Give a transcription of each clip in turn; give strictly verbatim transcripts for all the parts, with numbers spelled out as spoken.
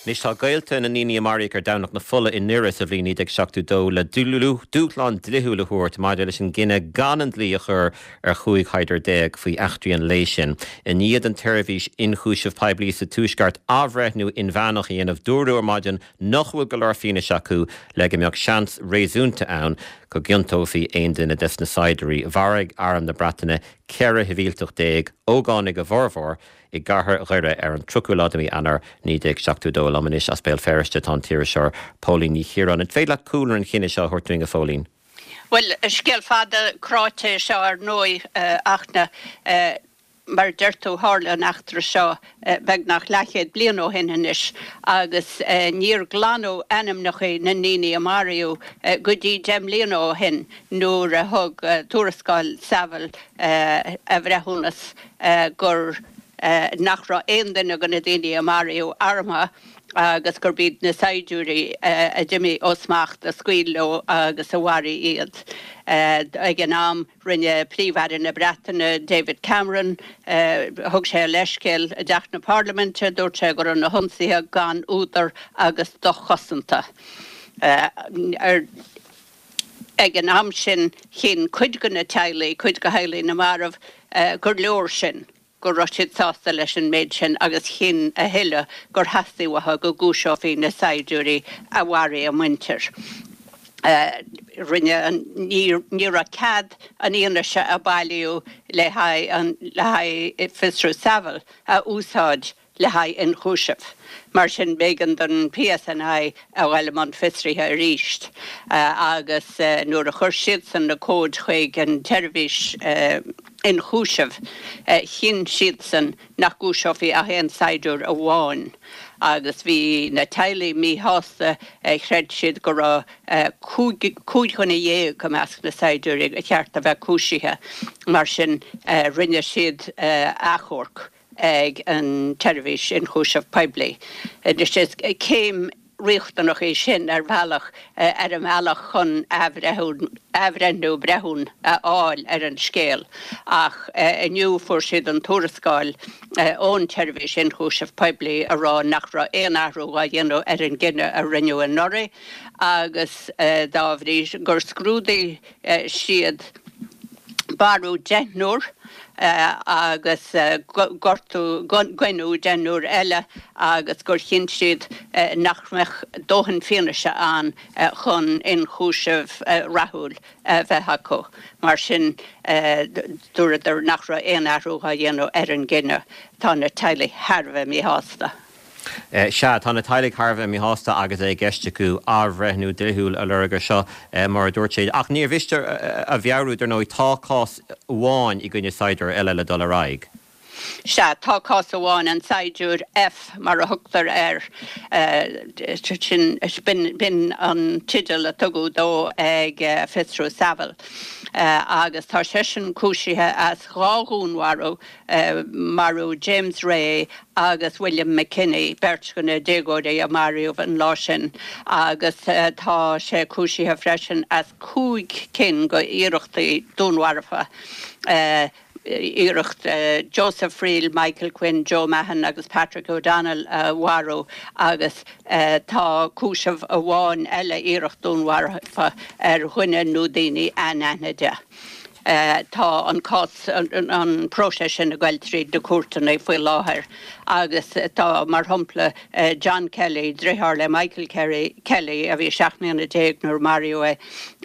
Anois tá gaolta na ndaoine a maraíodh ar Domhnach na Fola i nDoire sa bhliain naoi déag seachtó dó le dúshlán dlíthiúil a thabhairt maidir leis an gcinneadh gan an dlí a chur ar chúig shaighdiúir déag faoi eachtraí an lae sin. I ndiaidh don tSeirbhís Ionchúiseamh Poiblí sa Tuaisceart athbhreithniú inmheánach a dhéanamh dúradh ar maidin nach bhfuil go leor fianaise acu le go mbeadh seans réasúnta ann go gciontófaí aon duine des na saighdiúirí. Mharaigh Arm na Breataine ceithre shibhialtach déag, ógánaigh a bhformhór, i gcathair Dhoire ar an tríochú lá de mhí Eanáir naoi déag seachtó dó. Liom anois as Béal Feirste tá an t-iriseoir Póilín Ní Chiaráin. An féidir leat cúlra an chinnidh seo a thabhairt dúinn, a Phóilín? Bhuel, scéal fada cráite é seo ar ndóigh, a Fhachtna. Mar a deir tú, tharla an eachtra seo beagnach leathchéad bliain ó shin anois agus níor glanadh ainmneacha na ndaoine a maraíodh go dtí deich mbliana ó shin nuair a thug tuarascáil Saville a bhreithiúnas gur nach raibh aon duine de na daoine a maraíodh armtha agus gurb iad na saighdiúirí a d'imigh ó smacht a scaoil leo agus a mharaigh iad. Ag an am, rinne Príomh-Aire na Breataine, David Cameron, thug sé a leithscéal i dTeach na Parlaiminte, dúirt sé go raibh na hionsaithe gan údar agus dochosanta. Ag an am sin, chinn cuid de na teaghlaigh, cuid de theaghlaigh na marbh, gur leor sin. go raibh siad sásta leis an méid sin agus chinn a thuilleadh gur theastaigh uathu go gcúiseofaí na saighdiúirí a mharaigh a muintir. Rinne an, ní raibh cead an fhianaise a bailíodh le haghaidh an, le haghaidh fiosrú Saville a úsáid le haghaidh ionchúisimh. Mar sin, b'éigean don PSNI a dhul i mbun fiosraithe arís agus nuair a chuir siadsan na comhaid chuig an tseirbhís ionchúisimh, chinn siadsan nach gcúiseofaí ach aon saighdiúir amháin agus bhí na teaghlaigh míshásta, chreid siad go raibh cúig dhuine dhéag i measc na saighdiúirí ba cheart a bheith cúisithe. Mar sin, rinne siad achomharc. ag an tSeirbhís Ionchúiseamh Poiblí. Anois is céim riachtanach í sin ar bhealach ar an mbealach chun athbhreithniú breithiúin a fháil ar an scéal ach inniu fuair siad an tuarascáil ón tSeirbhís Ionchúiseamh Poiblí a rá nach raibh aon athrú á dhéanamh ar an gcinneadh a rinneadh anuraidh agus dá bhrí gur scrúdaigh siad marú deichniúr agus gortú, goineadh deichniúr eile agus gur chinn siad nach mbeadh dóthain fianaise ann chun ionchúiseamh rathúil a bheith acu. Mar sin, dúradar nach raibh aon athrú á dhéanamh ar an gcinneadh. Tá na teaghlaigh thar a bheith míshásta. Sea, tá na teaghlaigh thar a bheith míshásta agus é i gceist acu athbhreithniú dlíthiúil a lorg ar seo, mar a dúirt siad. Ach níor mhiste a mheabhrú, dar ndóigh, tá cás amháin i gcoinne saighdiúir eile le dul ar aghaidh. Sea, tá cás amháin, an Saighdiúir F mar a thugtar air, sin, b'in an teideal a tugadh dó ag Fiosrú Saville. Agus tá seisean cúisithe as dhá dhúnmharú, marú James Ray agus William McKinney, beirt de na déagóirí a maraíodh an lá sin, agus tá sé cúisithe freisin as cúig cinn de iarrachtaí dúnmharfa, iarracht Joseph Friel, Michael Quinn, Joe Mahon agus Patrick O'Donnell a mharú agus tá cúiseamh amháin eile, iarracht dúnmharfa ar dhuine nó daoine anaithnide. Tá an cás, an próiseas sin ag goil tríd na cúirteanna faoi láthair agus tá, mar shampla, John Kelly, driotháir le Michael Kelly a bhí seacht mbliana déag nuair a maraíodh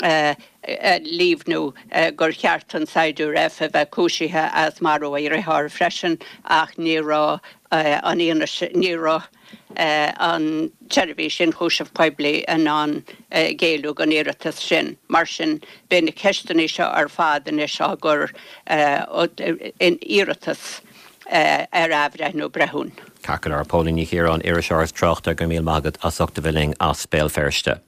é, ag líomhnú gur cheart an Saighdiúir F a bheith cúisithe as marú a dhriotháir freisin ach ní raibh an fhianaise, ní raibh. an tSeirbhís Ionchúiseamh Poiblí in ann géilleadh don iarratas sin. Mar sin, beidh na ceisteanna seo ar fad anois á gcur in iarratas ar athbhreithniú breithiúin. Ceart go leor. Póilín Ní Chiaráin, iriseoir is tráchtaire, go raibh míle maith agat as ucht a bheith linn as Béal Feirste.